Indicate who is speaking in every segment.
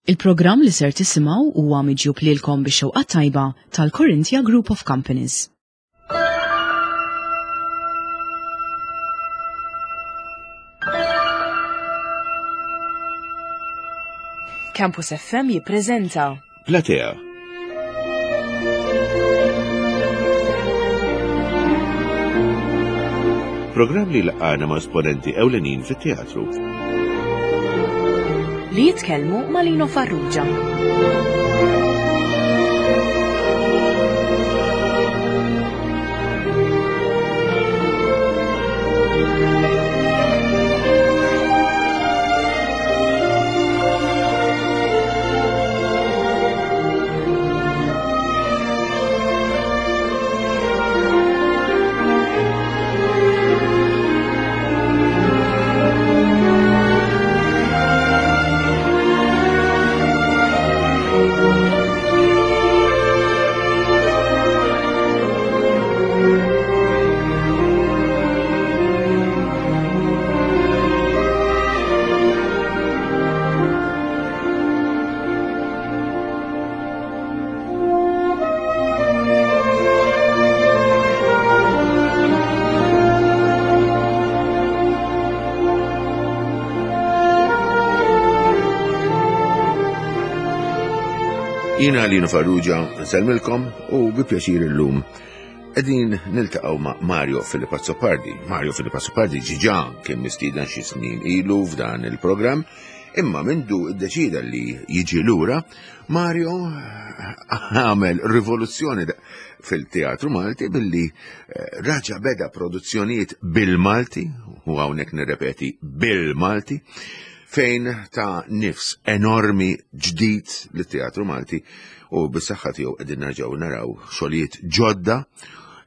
Speaker 1: Il-programm li ser tisimgħu huwa miġjub lilkom bix-xewqa tajba tal-Corinthia Group of Companies. Campus FM jippreżenta
Speaker 2: Platea. Programm li laqgħana ma' esponenti ewlenin fit-teatru.
Speaker 1: Li jitkellmu ma' Lino Farrugia.
Speaker 2: Jina Lino Farrugia, nsellmilkom u bi pjaċir illum qegħdin niltaqgħu ma' Mario Filippo Azzopardi. Mario Filippo Azzopardi ġiġa kien mistieden xi snin ilu f'dan il-programm, imma mindu ddeċida li jiġi lura, Mario għamel rivoluzzjoni fil-teatru Malti billi eh, raġa beda produzzjonijiet bil-Malti, u hawnhekk nirrepeti bil-Malti, fejn ta' nifs enormi ġdid lit-teatru Malti u bis-saħħa tiegħu qegħdin nerġgħu naraw xogħlijiet ġodda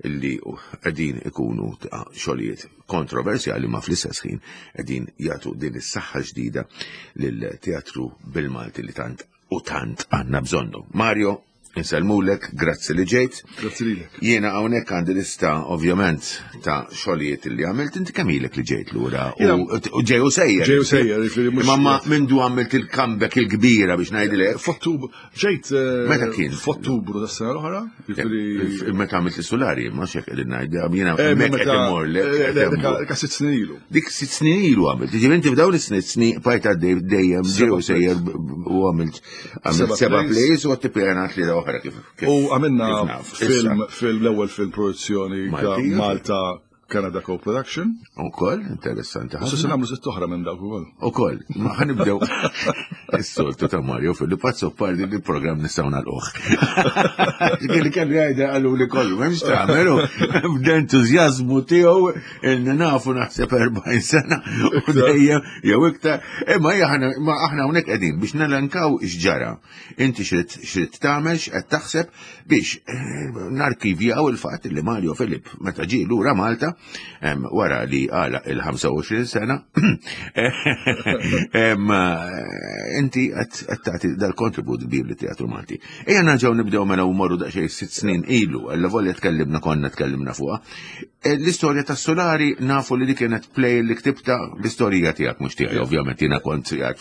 Speaker 2: illi qegħdin ikunu ta' xogħlijiet kontroversjali ma fl-istess ħin qegħdin jagħtu din is-saħħa ġdida lil-teatru bil-Malti li tant u tant għandna bżonnu. Mario, Insellmulek, grazzi li ġejt.
Speaker 3: Grazzi lilek.
Speaker 2: Jiena hawnhekk għandi lista ovvjament ta' xogħlijiet li għamilt, inti kemm ilek li ġejt lura u ġej u sejjer.
Speaker 3: Ġej u sejjer, jiġifieri mhux.
Speaker 2: Imma mindu għamilt il-comeback il-kbira biex ngħidilek.
Speaker 3: F'Ottubru, ġejt. Eh,
Speaker 2: Meta kien?
Speaker 3: F'Ottubru tas-sena l-oħra.
Speaker 2: Jiġifieri meta għamilt is-sulari, ma xek qegħdin ngħid, jiena eh, hemmhekk qed imorlek.
Speaker 3: Eh, dik sitt snin ilu.
Speaker 2: Dik sitt snin ilu għamilt. Jiġifieri inti f'dawn is-sitt snin bajt għaddej dejjem ġej u sejjer u għamilt Għamilt seba plays u għatti pjanat li oħra kif.
Speaker 3: U għamilna film, film l-ewwel film produzzjoni Malta Canada Co-Production.
Speaker 2: U koll, interessanti.
Speaker 3: Issa se nagħmlu sitt oħra minn dawk ukoll.
Speaker 2: U koll, ma ħanibdew. Is-soltu ta' Mario Filippo pardi li program nistgħu nagħlquh. Kelli kelli għajda qalu li kollu, m'hemmx tagħmel b'entużjażmu tiegħu ilni nafu naħseb 40 sena u dejjem jew iktar. Imma aħna ma aħna hawnhekk qegħdin biex nelenkaw x'ġara. Inti xrid xrid tagħmel x'qed taħseb biex eh, narkivjaw il-fatt li Mario Filip meta ġie lura Malta wara li għala il-25 sena eh, inti qed tagħti dal-kontribut kbir li teatru Malti. Ejja nerġgħu nibdew mela u morru daqsxejn sitt snin ilu, alla volja tkellimna konna tkellimna fuqha. Eh, l-istorja tas Solari nafu li dik kienet play li ktibta l-istorija tiegħek mhux tiegħi, ovvjament jiena kont qiegħed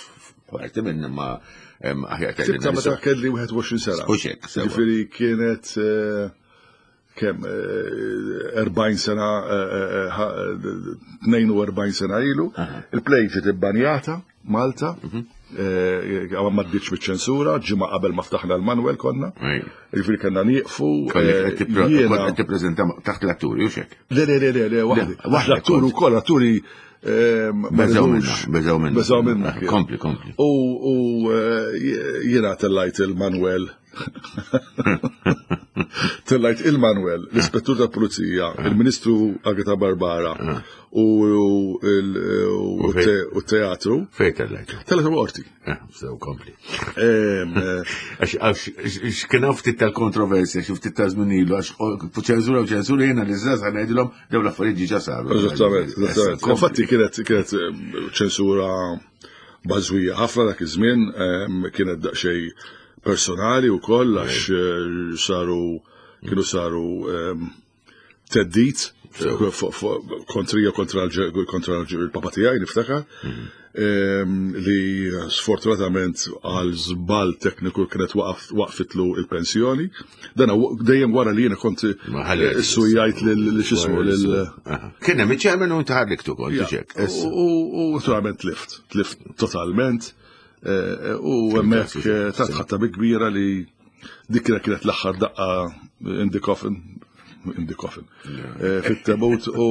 Speaker 2: parti minn ma aħjar
Speaker 3: kelli. Ktibta meta kelli 21 sena.
Speaker 2: U xek.
Speaker 3: Ġifieri kienet eh, kemm 40 eh, sena 42 sena ilu. Il-play ġiet ibbanjata Malta, mhm. eh, għamma ma ddiċ ċensura ġimma qabel ma ftaħna l-Manuel konna. Ġifieri kellna nieqfu.
Speaker 2: Eh, kont tippreżenta taħt l-atturi u xek.
Speaker 3: Le, le, le, le, le, waħdi. L-atturi wkoll, l-atturi eh,
Speaker 2: Beżaw minna, beżaw minna.
Speaker 3: Beżaw minna.
Speaker 2: Kompli, kompli.
Speaker 3: U jiena tellajt il-Manuel Tellajt il-Manuel, l-ispettur tal pulizija il-Ministru Agata Barbara u t-teatru.
Speaker 2: Fej tellajt?
Speaker 3: Tellajt u qorti.
Speaker 2: Eh, sew kompli. Eh, għax x'kien ftit tal-kontroversja, xi ftit ta' żmien ilu, għax ċensura u ċensura jiena li żgħażagħ ngħidilhom dawn l-affarijiet ġiġa saru.
Speaker 3: Eżattament, eżattament. Infatti kienet kienet eh, ċensura bażwija ħafna dak iż-żmien, kienet daqsxejn personali wkoll għax eh, saru kienu saru teddit kontrija kontra kontra il-papa tiegħi niftakar. Mhm. li sfortunatament għal żball tekniku kienet waqfitlu il-pensjoni. Dan dejjem wara li jiena kont sujjajt lil x'ismu lil.
Speaker 2: Kien hemm iċ-chairman u inti ħarriktu kont ġek.
Speaker 3: U naturalment tlift, tlift totalment. Eh, u hemmhekk eh, ta' tħatta bi kbira li dik kienet l-aħħar daqqa in the coffin in the coffin. Eh, fit-tebut u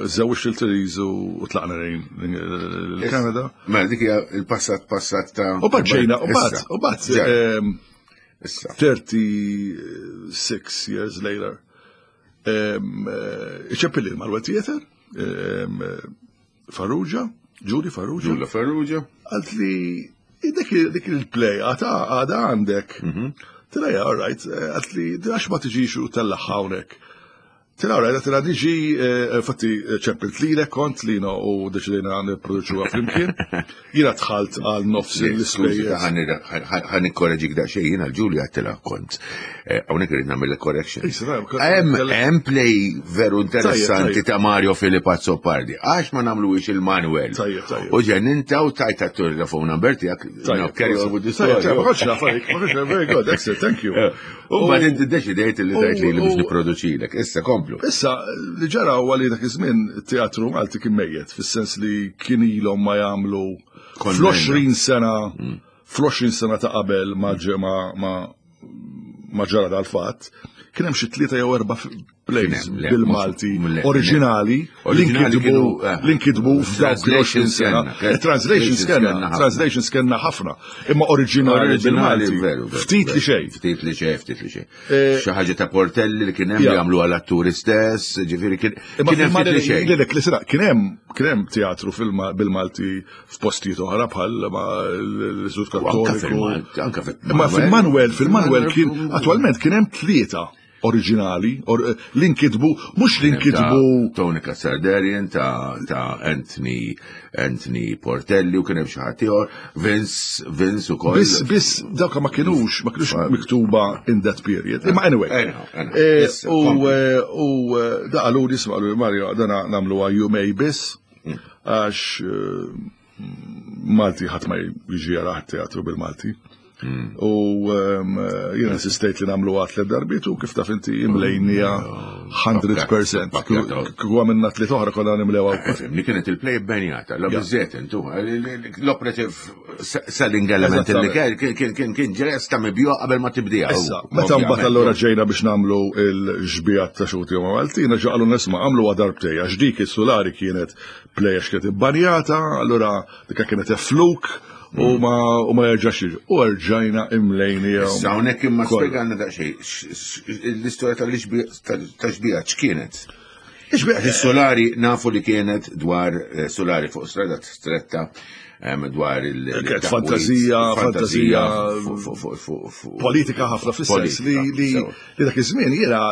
Speaker 3: żewġ il-Therese u tlaqna lejn l-Kanada.
Speaker 2: Ma dik hija il-passat passat ta'
Speaker 3: U bad ġejna, u bad, u bad. 36 years later. Iċeppilli l-Marwa Theater, Farrugia, Julie Farrugia.
Speaker 2: Julie Farrugia.
Speaker 3: Għalt li dik il-play għata għada għandek. Mhm. Tila ja, all right, għalt li għax ma tiġix u tella hawnhekk. Tila all right, tila niġi, eh, fatti ċempilt lilek kont li u deċidejna nipproduċuha flimkien. Jiena dħalt għal nofs l-ispejjeż.
Speaker 2: Ħa nikkoreġik daqsxejn jiena l-Ġulja għedtilha kont. Eh, hawnhekk irid nagħmel correction. Hemm play veru interessanti ta' Mario Filip Azzopardi. Għax ma nagħmluhiex il-Manuel. U ġen inta u tajt telefon number tiegħek. Carry on with the story.
Speaker 3: Very good, excellent, thank you. Eh,
Speaker 2: u mbagħad inti deċidejt li tajt li biex nipproduċilek. Issa komplu.
Speaker 3: Issa li ġara huwa li dak iż-żmien it-teatru Malti kien mejjet, fis-sens li kien ilhom ma jagħmlu fl-20 sena mm. fl-20 sena ta' qabel ma ma ma ġara dal-fatt, kien hemm xi tlieta jew erba' plays bil-Malti oriġinali li nkitbu eh, li nkitbu f'dawk l-20 sena. Eh, translations kellna, translations kellna ħafna, imma oriġinali bil-Malti. Ftit li xejn.
Speaker 2: Ftit li xejn, ftit li xejn. Eh, Xi ħaġa ta' Portelli li kien hemm li jagħmlu għal atturi stess, ġifieri kien
Speaker 3: hemm ftit li xejn. Kien hemm kien hemm teatru bil-Malti f'postijiet oħra bħal ma l-Istitut Kattoliku. Ma fil-Manuel, fil-Manuel kien attwalment kien hemm tlieta oriġinali or, li nkitbu, mhux li nkitbu.
Speaker 2: Tony Kassardarian ta', ta Anthony Anthony Portelli u kien hemm xi ħadd ieħor, Vince Vince ukoll.
Speaker 3: Biss biss dawk ma kinux ma kinux miktuba in that period. Imma anyway. Eh, u eh, u eh, da qalu li isma' Mario dana nagħmluha jumej biss. Mm. Għax eh, Malti ħadd ma jiġi jaraħ teatru bil-Malti. Mm. U ehm, jiena insistejt li nagħmlu għat tliet darbiet u kif taf inti imlejnija 100%. Kieku għamilna tliet oħra kollha nimlewha
Speaker 2: wkoll. Li kienet il-play benjata, la biżżejjed intu, l-operative selling element li kien kien kien ġres ta' mibju qabel ma tibdija.
Speaker 3: Issa, meta mbagħad allura ġejna biex nagħmlu l-xbijat ta' xuti ma' Maltina, ġaqalu nisma' għamlu darbtej għax dik is-sulari kienet play għax kienet ibbanjata, allura dikka kienet fluk u ma u ma jerġax jiġi. U rġajna imlejni.
Speaker 2: Issa hawnhekk imma spjegana daqsxejn l-istorja tal-xbija x'kienet? Is-solari nafu li kienet dwar eh, solari fuq strada stretta dwar il-
Speaker 3: Kienet fantazija, fantazija politika ħafna fis-sens li li dak iż-żmien jiena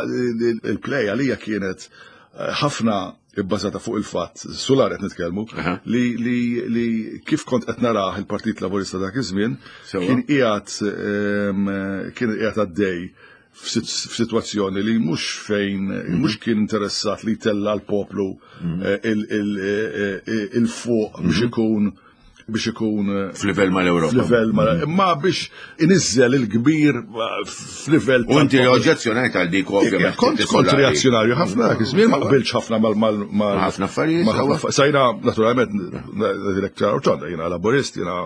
Speaker 3: il-play għalija kienet eh, ħafna ibbażata fuq il-fatt, Sular qed nitkellmu, li, li, li kif kont qed narah il-Partit Laburista dak iż-żmien kien qiegħed kien qiegħed għaddej f'sitwazzjoni li mhux fejn mhm. mhux kien interessat li jtella l-poplu mhm. eh, eh, il-fuq biex mhm. ikun biex ikun eh,
Speaker 2: f'livell mal-Ewropa.
Speaker 3: F'livell mal imma biex iniżżel il-kbir f'livell.
Speaker 2: U inti oġġezzjonajt għal dik
Speaker 3: ovvjament. Kont kont reazzjonarju ħafna dak iż-żmien ma qbilx ħafna mal
Speaker 2: mal ħafna affarijiet.
Speaker 3: Sajna naturalment dilek ċar ċanda jiena laburist jiena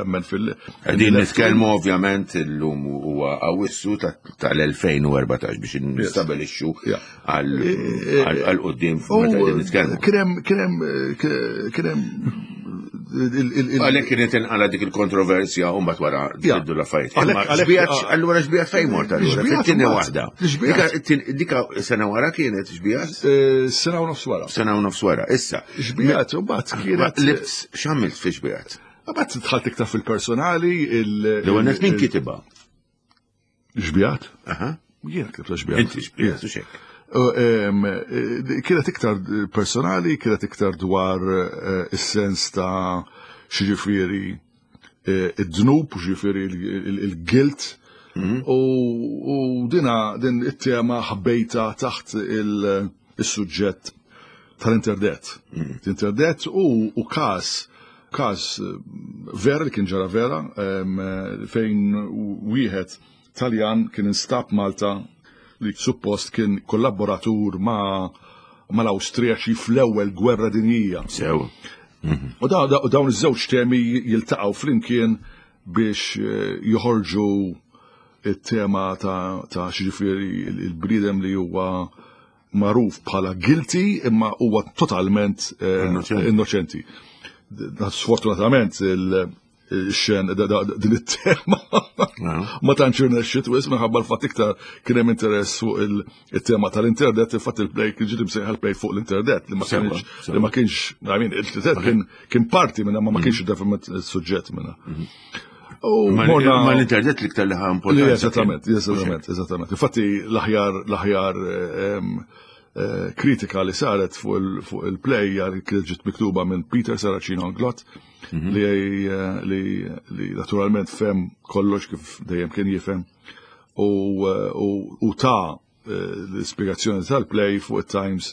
Speaker 3: nemmen fil
Speaker 2: Qegħdin nitkellmu ovvjament illum huwa Awwissu tal-2014 biex nistabilixxu għal quddiem meta qegħdin nitkellmu.
Speaker 3: Kien hemm kien hemm kien hemm
Speaker 2: Għalhekk kienet inqala dik il-kontroversja u mbagħad wara tibdu l-affarijiet. Allura xbijat fejn mort allura? Fit-tieni waħda. Dika sena wara kienet xbijat?
Speaker 3: Eh, sena u nofs wara.
Speaker 2: Sena u nofs wara, issa.
Speaker 3: Xbijat u mbagħad kienet.
Speaker 2: X'għamilt fi xbijat?
Speaker 3: Mbagħad dħalt iktar fil-personali.
Speaker 2: L-ewwel nett min kitibha?
Speaker 3: Xbijat? Jiena ktibta xbijat.
Speaker 2: Inti xbijat u xek.
Speaker 3: Eh, kienet iktar personali, kienet iktar dwar eh, is-sens ta' xiġifieri eh, id-dnub, ġifieri il-guilt. Mhm. U dina din it-tema ħbejta taħt il-suġġett. tal-interdet. L-interdet u każ każ vera li kien ġara vera fejn wieħed Taljan kien instab Malta li suppost kien kollaboratur ma' mal-Awstrijaċi fl-ewwel gwerra dinjija.
Speaker 2: Sew.
Speaker 3: U dawn iż-żewġ temi jiltaqgħu flimkien biex joħorġu it-tema ta' x'jiġifieri il-bniedem li huwa magħruf bħala guilty imma huwa totalment innoċenti. Sfortunatament il-xen din it-tema ma tantx irnexxiet wisq minħabba l-fatt iktar kien hemm interess fuq il-tema tal-internet, il-fatt il-play kien ġiet imsejħa l-play fuq l-internet li ma kienx li ma kienx, I mean, il-internet kien parti minna ma ma kienx definitely il-suġġett minna.
Speaker 2: U ma l-internet l-iktar li ħa importanza.
Speaker 3: Eżattament, eżattament, eżattament. Infatti l-aħjar l-aħjar kritika li saret fuq il-play kienet ġiet miktuba minn Peter Saracino Anglot li li naturalment fehem kollox kif dejjem kien jifhem u ta' l-ispjegazzjoni tal-play fuq it-Times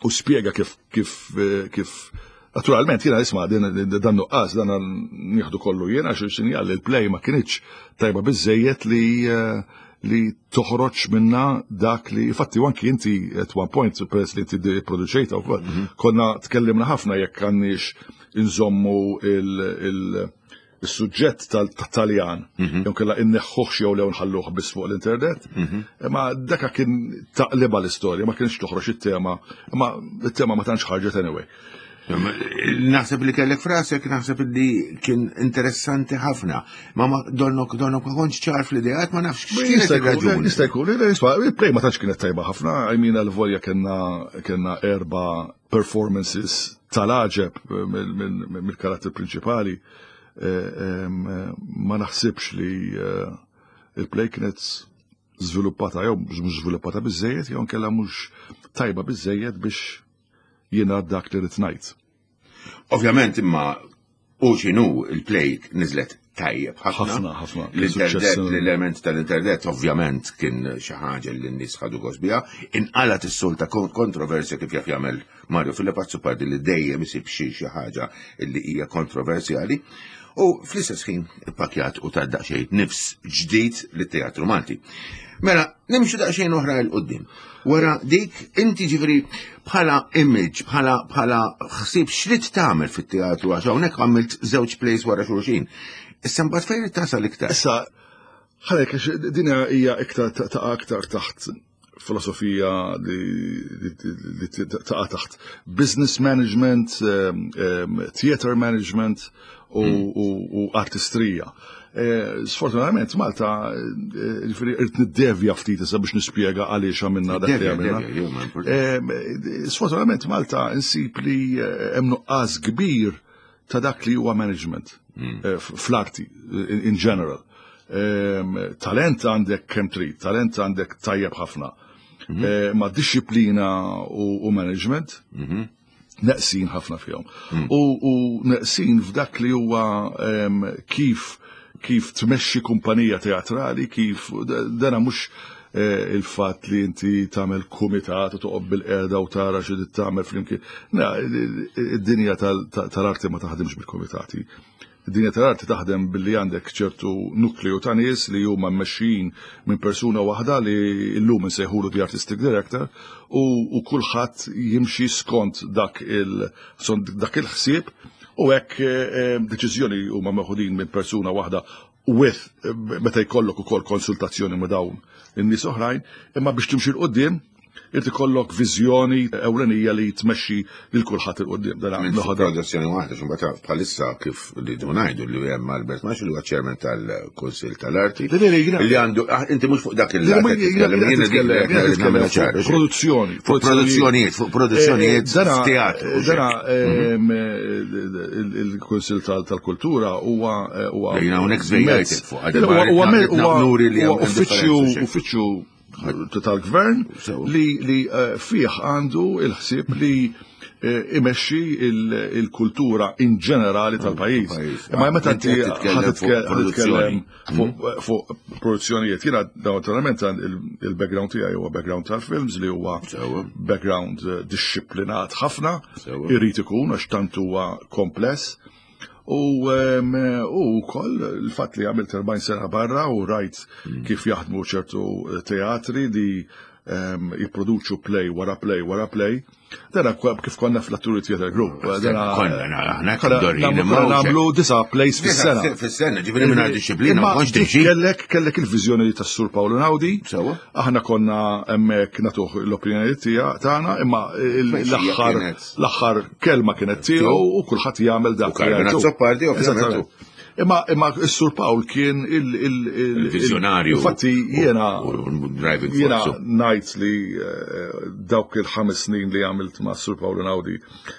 Speaker 3: u spjega kif kif kif naturalment jiena isma' dan nuqqas dan nieħdu kollu jiena għax sinjal li l-play ma kinitx tajba biżejjed li li toħroġ minna dak li fatti anki inti at one point peress li inti produċejta wkoll konna tkellimna ħafna jekk għandniex inżommu il-suġġett tal-Taljan, jew kella inneħħuh jew lew nħalluh biss fuq l-internet. Imma daka kien taqliba l-istorja, ma kienx toħroġ it-tema, imma it-tema ma tantx ħarġet anyway.
Speaker 2: Naħseb li kellek frasek, naħseb li kien interessanti ħafna. Ma ma donnok donnok ma kontx ċar fl-ideat, ma nafx x'kienet ir-raġuni.
Speaker 3: Jista' jkun, il-play ma tantx kienet tajba ħafna, I mean għal-volja kellna erba' performances tal-għaġeb mill-karatteri prinċipali. Ma naħsibx li il-play kienet żviluppata jew mhux żviluppata biżejjed jew nkella mhux tajba biżejjed biex jiena dak li rrid ngħid.
Speaker 2: Ovvjament imma u x'inhu il-play niżlet tajjeb ħafna.
Speaker 3: Ħafna, ħafna.
Speaker 2: L-internet, l-element tal-internet ovvjament kien xi ħaġa li n-nies ħadu gost biha. Inqalat is-solta kontroversja kif jaf jagħmel Mario Philip Azzopardi li dejjem isib xi xi ħaġa li hija kontroversjali. U fl-istess ħin ippakjat u ta' daqsxejn nifs ġdid lit-teatru Malti. Mela, nimxu daqsxejn oħra 'l quddiem. Wara dik, inti ġifieri bħala image, bħala bħala ħsieb x'rid tagħmel fit-teatru għax hawnhekk għamilt żewġ plays wara xulxin. Issa mbagħad fejn tasal iktar?
Speaker 3: Issa, ħalek din hija iktar taqa' aktar taħt filosofija li taqa' taħt business management, theater management u artistrija. Sfortunatament Malta, ġifieri irrid niddevja ftit issa biex nispjega għaliex għamilna dak li għamilna. Sfortunatament Malta insib li hemm nuqqas kbir ta' dak li huwa management fl-arti in general. Talent għandek kemm trid, talent għandek tajjeb ħafna. Ma disciplina u management neqsin ħafna fihom. U neqsin f'dak li huwa kif kif tmexxi kumpanija teatrali, kif dana mhux il-fatt li inti tagħmel kumitat u toqgħod bil-qerda u tara xi tagħmel flimkien. Id-dinja tal-arti ma taħdimx bil-kumitati. Id-dinja tal-arti taħdem billi għandek ċertu nukleu ta' nies li huma mmexxijin minn persuna waħda li llum insejħulu the artistic director u kulħadd jimxi skont dak il-ħsieb u hekk deċiżjoni huma meħudin minn persuna waħda with meta jkollok ukoll konsultazzjoni ma' dawn in-nies oħrajn, imma biex timxi 'l quddiem irid ikollok viżjoni ewlenija li tmexxi lil kulħadd 'il quddiem.
Speaker 2: Minn produzzjoni waħda, x'imbagħad bħalissa kif li ngħidu li hemm Albert Maxi li huwa chairman tal-Kunsill tal-Arti. Li għandu, inti mhux fuq dak il
Speaker 3: Produzzjoni.
Speaker 2: Fuq produzzjonijiet, fuq produzzjonijiet teatru.
Speaker 3: Dana il-Kunsill tal-Kultura huwa
Speaker 2: huwa Jiena hawnhekk żvejjajt fuq.
Speaker 3: Huwa uffiċċju uffiċċju tal-gvern li, li eh, fih għandu il-ħsieb li eh, imexxi il-kultura in ġenerali tal-pajjiż. Imma meta inti ħatitkellem mhm. fuq produzzjonijiet, jiena naturalment il-background tiegħi huwa background tal-films li huwa background eh, disciplinat ħafna, irid ikun għax tant huwa kompless. U wkoll il-fatt li għamilt 40 sena barra u rajt mm. kif jaħdmu ċertu eh, teatri li jipproduċu play wara play wara play. Dana kif konna fl-Atturi Theater Group.
Speaker 2: Dana konna aħna
Speaker 3: nagħmlu disa plays fis-sena.
Speaker 2: Fis-sena, ġifieri minn disciplina ma kontx tiġi.
Speaker 3: Kellek kellek il-viżjoni tas-Sur Paolo Naudi. Aħna konna hemmhekk nagħtuh l-opinjoni tagħna, imma l-aħħar L-aħħar kelma kienet tiegħu u kulħadd jagħmel dak.
Speaker 2: U Carmen Azzopardi ovvjament.
Speaker 3: Imma imma s-Sur Pawl kien
Speaker 2: il-vizjonarju.
Speaker 3: Infatti jiena jiena ngħid li eh, dawk il-ħames snin li għamilt ma' Sur Pawl Naudi,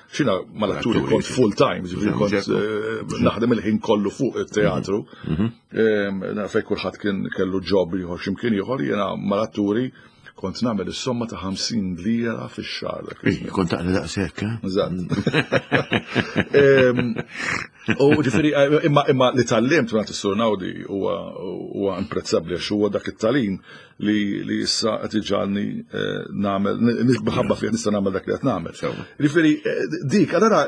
Speaker 3: xina mal-atturi kont full time, ġifieri kont eh, naħdem il-ħin kollu fuq it-teatru. Mhm. Mhm. Fej kulħadd kien kellu job ieħor x'imkien ieħor, jiena mal-atturi Kont nagħmel is-somma ta' 50 lira fix-xahar dak
Speaker 2: iż-żmien. Kont taqla daqshekk, eh?
Speaker 3: Eżatt. U ġifieri eh, imma imma li tallimt mingħand is-Sur Nawdi huwa huwa imprezzabbli għax huwa dak it-talim li li issa qed iġagħalni eh, nagħmel minħabba fih nista' nagħmel dak li qed nagħmel. Ġifieri dik allura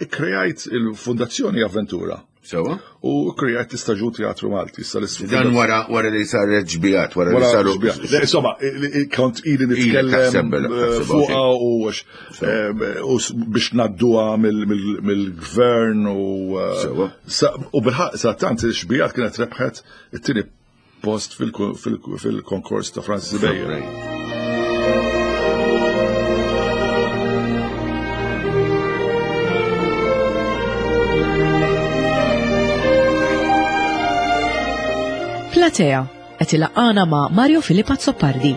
Speaker 3: ikkrejajt il-Fundazzjoni Avventura.
Speaker 2: Sewa.
Speaker 3: U krejat l-istaġun teatru Malti. Issa
Speaker 2: Dan wara wara li saret ġbijat, wara li saru.
Speaker 3: Insomma, kont ili nitkellem eh, fuqha u eh, biex nadduha mill-gvern u eh, u bil-ħaq sa tant il-xbijat kienet rebħet it-tieni post fil-konkors ta' Francis Bayer.
Speaker 1: Platea qed ilaqqana ma' Mario Filippo Azzopardi.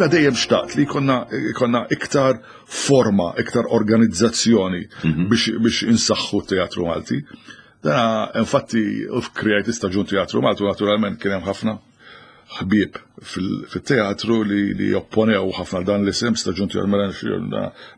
Speaker 3: Jiena dejjem xtaqt li jkollna jkollna iktar forma, iktar organizzazzjoni mhm. biex, biex insaħħu t-teatru Malti. Dana, infatti, f'krejt istaġun teatru Malti, naturalment kien hemm ħafna ħbieb fit-teatru li opponew ħafna dan l-isem staġun tiegħu mela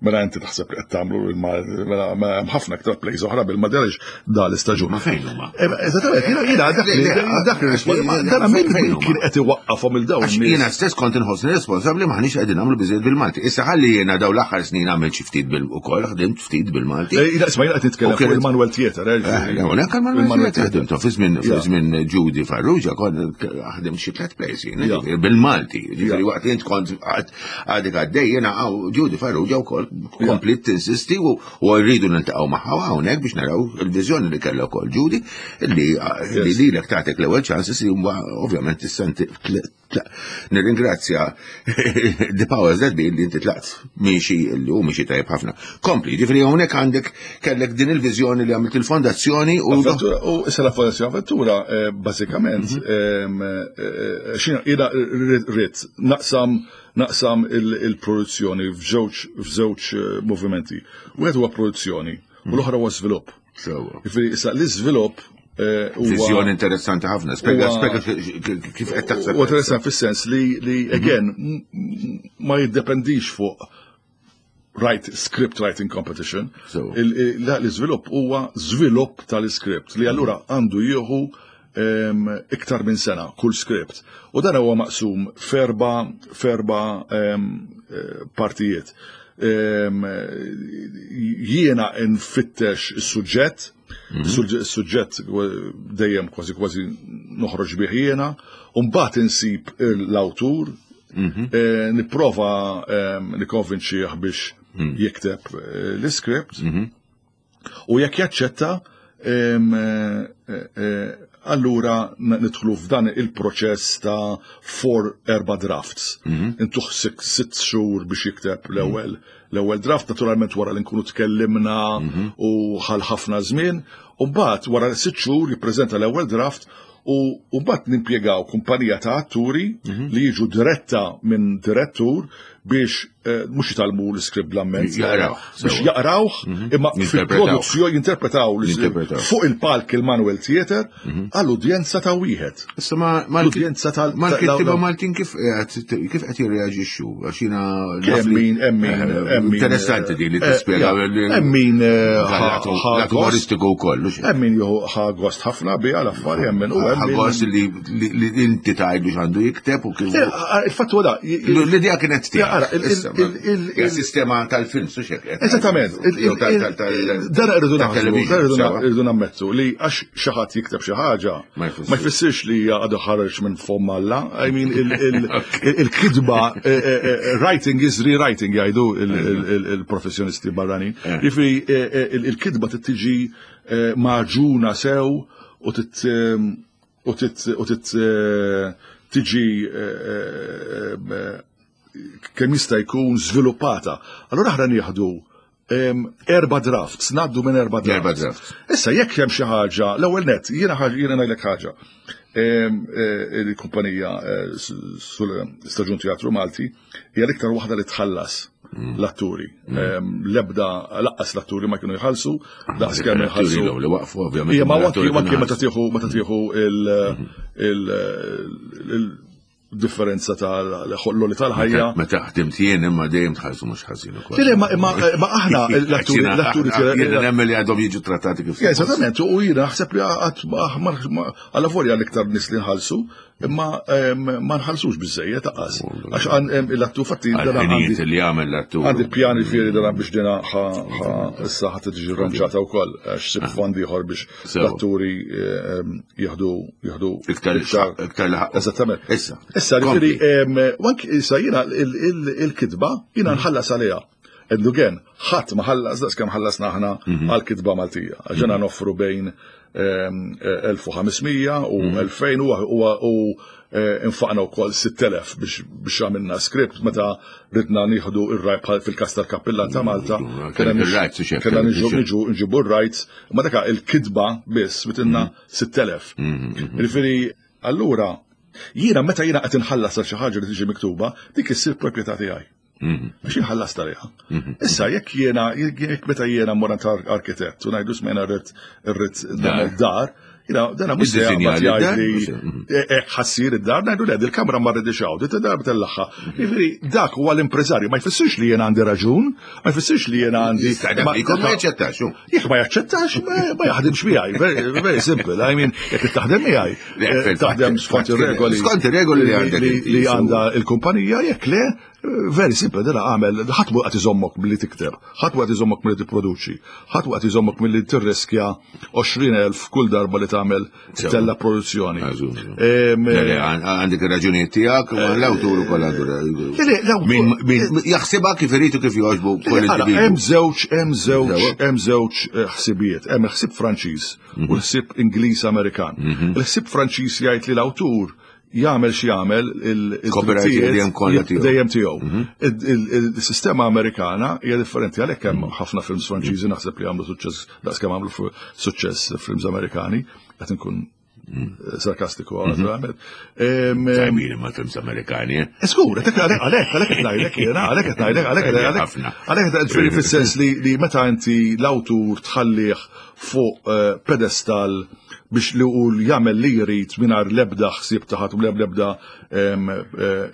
Speaker 3: mela inti taħseb li qed tagħmlu mela, mela hemm ħafna aktar plays oħra bil-madelx da l-istaġun.
Speaker 2: Ma fejn huma?
Speaker 3: Eh, eżattament, jiena jiena dak li dak li dan min kien qed iwaqqafhom il dawn.
Speaker 2: Jiena stess kont inħossni responsabbli maħniex qegħdin nagħmlu biżejjed bil-Malti. Issa ħalli jiena daw l-aħħar snin għamilt xi ftit bil ukoll ħdimt ftit bil-Malti.
Speaker 3: Eh, jiena isma' jiena qed nitkellem fuq il-Manuel Theater.
Speaker 2: Eh, hawnhekk il-Manuel Theater ħdimtu fi żmien Judy Farrugia kont ħdim xi tliet plays jien, bil-Malti. Ġifieri waqt li int kont għadek għaddej jiena Judy Farrugia wkoll komplit tinsisti u rridu niltaqgħu magħha hawnhekk biex naraw il-viżjoni li kellha wkoll Judy li lilek tagħtek l-ewwel ċansis li ovvjament issa Nirringrazzja the powers that be li inti tlaqt miexi li hu miexi tajjeb ħafna. Kompli, ġifieri hawnhekk għandek kellek din il-viżjoni li għamilt il-fondazzjoni
Speaker 3: u. U issa la fondazzjoni Avventura eh, bażikament mhm. ehm, eh, eh, xina jiena rrid naqsam naqsam il-produzzjoni f'żewġ movimenti. Wieħed huwa produzzjoni u mhm. l-oħra huwa żvilupp.
Speaker 2: Sewa.
Speaker 3: Jiġifieri issa l-iżvilupp
Speaker 2: eh, Viżjoni interessanti ħafna. Spjega spjega kif qed taħseb.
Speaker 3: Huwa interessanti fis-sens li li mhm. again ma jiddependix fuq write script writing competition. L-iżvilupp huwa żvilupp tal-iskript li allura għandu jieħu iktar minn sena kull script. U dan huwa maqsum ferba ferba eh, partijiet. Jiena nfittex is-suġġett, mhm. is-suġġett dejjem kważi kważi noħroġ bih jiena, u mbagħad insib l-awtur, mhm. eh, nipprova nikkonvinċih biex mhm. jikteb eh, l-iskript. U jekk jaċċetta, allura nidħlu f'dan il-proċess ta' four erba' drafts. Intuh 6 xhur biex jikteb l-ewwel l-ewwel draft, naturalment wara li nkunu tkellimna u ħal ħafna żmien, u mbagħad wara 6 xhur jippreżenta l-ewwel draft u mbagħad nimpjegaw kumpanija ta' atturi li jiġu diretta minn direttur biex mhux jitgħallmu l-iskript bl-amment.
Speaker 2: Jaqrawh.
Speaker 3: Biex jaqrawh, imma fil-produzzjoni jinterpretaw fuq il-palk il-Manuel Theatre għall-udjenza ta' wieħed.
Speaker 2: Issa ma
Speaker 3: l-udjenza tal
Speaker 2: mal-kittieba Maltin kif qed jirreaġixxu għax jiena
Speaker 3: hemm min hemm min hemm min
Speaker 2: interessanti din li tispjega
Speaker 3: hemm min
Speaker 2: l-umoristiku wkoll.
Speaker 3: Hemm min jieħu ħa gost ħafna biha l-affari hemm min u hemm
Speaker 2: min. Gost li inti tgħidlu x'għandu jikteb u kif.
Speaker 3: Il-fatt huwa da.
Speaker 2: L-idea kienet tiegħek. Il-sistema tal-film, su xek.
Speaker 3: Eżattament. Dan irridu irridu nammettu li għax xi ħadd jikteb xi ħaġa ma jfissirx li hija għadu ħareġ minn fomm Alla. I mean il-kitba writing is rewriting jgħidu il-professjonisti barranin. Jiġifieri il-kitba tiġi maġuna sew u tit u tit tiġi kemm jista' jkun żviluppata. Allura aħna nieħdu erba' drafts, ngħaddu minn erba' drafts.
Speaker 2: Erba' drafts.
Speaker 3: Issa jekk hemm xi ħaġa, l-ewwel nett, jiena ħaġa jiena ngħidlek ħaġa. Il-kumpanija sul-Staġun Teatru Malti hija l-iktar waħda li tħallas l-atturi. L-ebda laqqas l-atturi ma kienu jħallsu, daqs kemm jħallsu.
Speaker 2: Li waqfu ovvjament.
Speaker 3: Ija ma waqfu meta tieħu meta tieħu il differenza tal-ħolloli tal-ħajja.
Speaker 2: Meta ħdimt jien imma dejjem tħallsu mhux ħażin
Speaker 3: ukoll. Le, ma aħna l-atturi l-atturi
Speaker 2: Jiena nemmen li għadhom jiġu trattati kif.
Speaker 3: Eżattament, u jiena naħseb li għal volja l-iktar nies li nħallsu, imma ma nħallsux biżejjed taqas. Għax l-attur fatti
Speaker 2: dan għandi li jagħmel l-attur.
Speaker 3: Għandi pjani fieri dan biex dina issa ħadd tiġi rranġata wkoll għax sib fondi ieħor biex l-atturi jieħdu jieħdu
Speaker 2: iktar iktar laħaq.
Speaker 3: Eżattament.
Speaker 2: Issa.
Speaker 3: Issa ġifieri anki issa jiena il-kitba jiena nħallas għaliha. And again, ħadd ma ħallas daqs kemm ħallasna aħna mhm. għal-kitba Maltija. Għax mhm. noffru bejn 1500 u 2000 u infaqna wkoll 6000 biex għamilna script meta ridna nieħdu ir-right bħal fil-każ tal-kappillan ta' Malta. Kellna niġu nġibu r-rights, ma daka il-kitba biss bitinna 6000. Jiġifieri allura jiena meta jiena qed inħallas għal xi ħaġa li tiġi miktuba, dik issir proprjetà tiegħi. Għax jien ħallast għaliha. Issa jekk jiena jekk meta jiena mmur għand arkitett u ngħidu smajna rrid irrid nagħmel dar, jiena dana mhux se jaqbad jgħidli hekk ħassir id-dar, ngħidu le il-kamra ma rridix hawn, dit id-dar tellagħha. Jiġifieri dak huwa l-impreżarju, ma jfissirx li jiena għandi raġun, ma jfissirx li jiena għandi.
Speaker 2: Ma jaċċettax.
Speaker 3: Jekk ma jaċċettax, ma jaħdimx miegħi. Very simple. I mean, jekk taħdem miegħi, taħdem skont ir-regoli.
Speaker 2: Skont ir-regoli
Speaker 3: li għandha il-kumpanija, jekk le, Very simple, dela għamel, ħadd mhu qed iżommok milli tikteb, ħadd mhu qed iżommok milli tipproduċi, ħadd mhu qed iżommok milli tirriskja 20,000 kull darba li tagħmel tella produzzjoni.
Speaker 2: Għandek ir-raġunijiet tiegħek, ma l-awtur ukoll għandu. Jaħsibha kif irid u kif jogħġbu kull individwu.
Speaker 3: Hemm żewġ, hemm żewġ, hemm żewġ ħsibijiet, hemm il-ħsieb Franċiż u l-ħsieb Ingliż Amerikan. Il-ħsieb Franċiż jgħid li l-awtur jagħmel xi jagħmel
Speaker 2: il-copyright
Speaker 3: dejjem tiegħu. Mhm. Il-sistema Amerikana hija differenti għalhekk hemm mhm. ħafna films Franċiżi naħseb li għamlu suċċess daqskemm għamlu suċċess films Amerikani qed inkun mhm. sarkastiku naturalment.
Speaker 2: Tajbin ma films Amerikani. Eh?
Speaker 3: Skur, għalhekk għalhekk qed ngħidlek jiena, għalhekk qed ngħidlek, għalhekk għalhekk għalhekk ġifieri fis-sens li meta inti l-awtur tħallih fuq eh, pedestal biex li u jagħmel li jrid mingħajr l-ebda ħsieb ta' ħadd u l-ebda eh,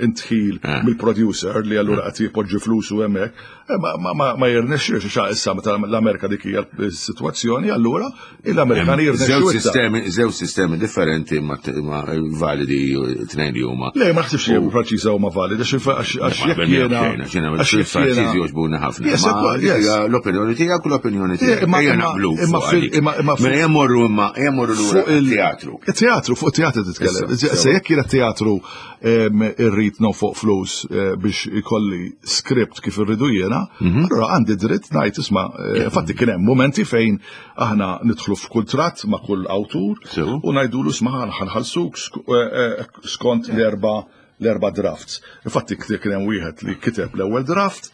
Speaker 3: intħil eh. mill-producer li allura qed jipoġġi flusu hemmhekk, eh, ma jirnexxiex xa issa meta l-Amerika dik hija s-sitwazzjoni, allura l-Amerikani
Speaker 2: jirnexxu. Żewġ sistemi differenti ma validi tnejn li huma.
Speaker 3: Le, ma naħsibx li Franċiża huma validi għax jekk jiena.
Speaker 2: Għax il-Franċiżi jogħġbuna ħafna. L-opinjoni tiegħek u l-opinjoni tiegħek. Ejja naqblu. Imma Mela jemmorru imma jemmorru lura.
Speaker 3: Fuq
Speaker 2: il-teatru.
Speaker 3: Il-teatru, fuq il-teatru titkellem. Se jekk jiena teatru irrid fuq flus eh, biex ikolli script kif irridu jiena, mhm. allura għandi dritt ngħid isma' eh, fatti kien hemm momenti fejn aħna nidħlu f'kuntratt ma' kull awtur u ngħidulu isma' ħanħallsuk eh, skont l-erba' l-erba' drafts. Infatti kien hemm wieħed li kiteb l-ewwel draft,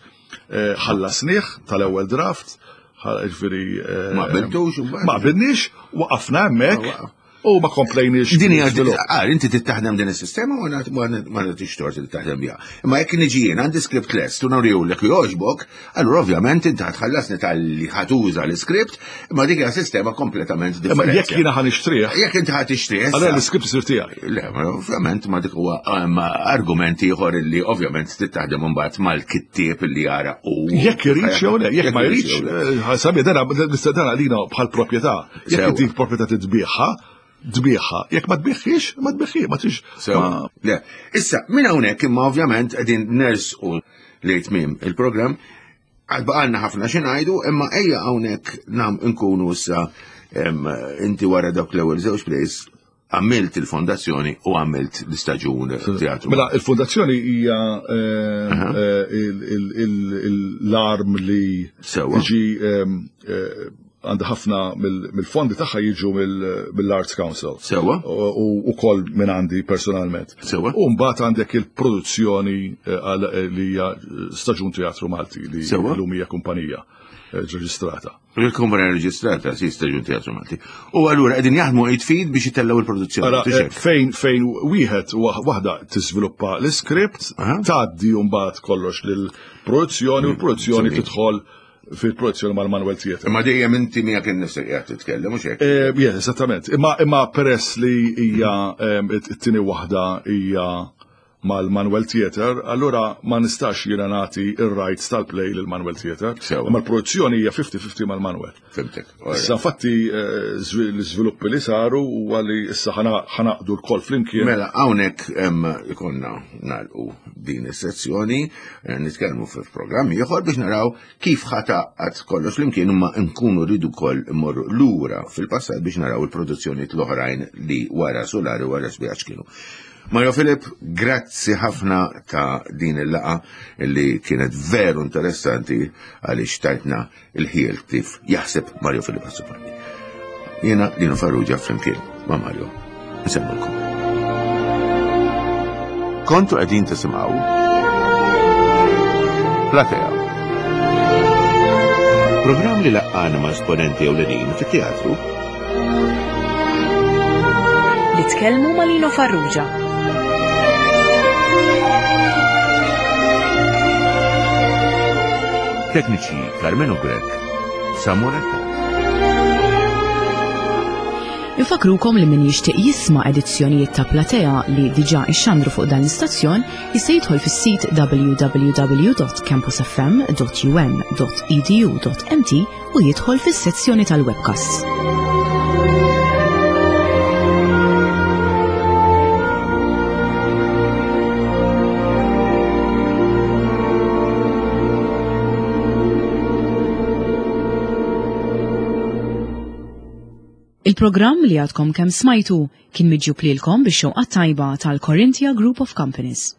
Speaker 3: ħallasnih tal-ewwel draft, ġifieri.
Speaker 2: Eh, ma qbiltux
Speaker 3: Ma qbilniex, waqafna hemmhekk. U ma komplejniex.
Speaker 2: Din hija għal inti tittaħdem din is-sistema u ma nagħtix tort li taħdem biha. Imma jekk niġi jien għandi script lest u nurihulek jogħġbok, allura ovvjament inti ħatħallasni tal-li ħatuża l-iskript, imma dik hija sistema kompletament differenti.
Speaker 3: Imma jekk jiena ħa nixtrih.
Speaker 2: Jekk inti ħa tixtrih.
Speaker 3: Allura l-iskript isir tiegħi.
Speaker 2: Le, ovvjament ma dik huwa argument ieħor li ovvjament tittaħdem imbagħad mal-kittieb li jara
Speaker 3: u. Jekk iridx jew le, jekk ma jridx, eh, sabi dana nista' dana lina bħal proprjetà. Jekk inti proprjetà titbieħha, tbieħha. Jekk ma tbieħhiex, ma tbieħhi, ma tix.
Speaker 2: Le, issa minn hawnhekk imma ovvjament qegħdin nersqu li tmiem il-programm Għad baqalna ħafna xi ngħidu, imma ejja hawnhekk nam nkunu issa inti wara dawk l-ewwel żewġ plays għamilt il-fondazzjoni u għamilt l-istaġun teatru.
Speaker 3: Mela, il-fondazzjoni hija eh, eh, l-arm li jiġi ehm, eh, għandha ħafna mill-fondi tagħha jiġu mill-Arts Council.
Speaker 2: Sewa.
Speaker 3: U koll minn għandi personalment.
Speaker 2: Sewa.
Speaker 3: U mbagħad għandek il-produzzjoni li hija Staġun Teatru Malti li llum hija kumpanija reġistrata.
Speaker 2: Il-kumpanija reġistrata, si Staġun Teatru Malti. U allura qegħdin jaħdmu id fid biex itellgħu il-produzzjoni.
Speaker 3: Eh, fejn fejn wieħed waħda tiżviluppa l-iskript, tgħaddi mbagħad kollox lill-produzzjoni u l-produzzjoni mm, tidħol fil-produzzjoni mal-Manuel Theatre.
Speaker 2: Imma dejjem inti miegħek innifsek qiegħed titkellem mhux hekk?
Speaker 3: Eh, yes, esattament. Imma imma peress li hija eh, it-tieni waħda hija mal-Manuel Theatre, allura ma nistax jiena nagħti ir-rights tal-play lil Manuel Theatre. Imma l-produzzjoni hija 50-50 mal-Manuel.
Speaker 2: Fimtek.
Speaker 3: Issa fatti eh, l-iżviluppi li saru huwa li issa ħanaqdu l-kol flimkien.
Speaker 2: Mela hawnhekk ikonna nagħlqu din is-sezzjoni, eh, nitkellmu fil-programm ieħor biex naraw kif ħataqgħad kollox flimkien imma nkunu rridu wkoll immorru lura fil-passat biex naraw il-produzzjonijiet l-oħrajn li wara Solari wara Sbijaċ kienu. Mario Filip, grazzi ħafna ta' din il-laqa li kienet veru interessanti għaliex tajtna il-ħiel kif jaħseb Mario Filip Azzopardi. Jiena Lino Farrugia flimkien ma' Mario. Nsemmulkom. Kontu qegħdin tisimgħu Platea. Programm li laqqana ma' esponenti ewlenin fit-teatru
Speaker 1: Li tkellmu ma' Lino Farrugia.
Speaker 2: Tekniċi Carmenu Grek, Samuel
Speaker 1: Infakrukom li min jixtieq jisma' edizzjonijiet ta' Platea li diġà ixxandru fuq dan l-istazzjon jista' jidħol fis-sit www.campusfm.um.edu.mt u jidħol fis-sezzjoni tal-webcasts. Il-programm li għadkom kemm smajtu kien miġjub lilkom bix-xewqa tajba tal-Corinthia Group of Companies.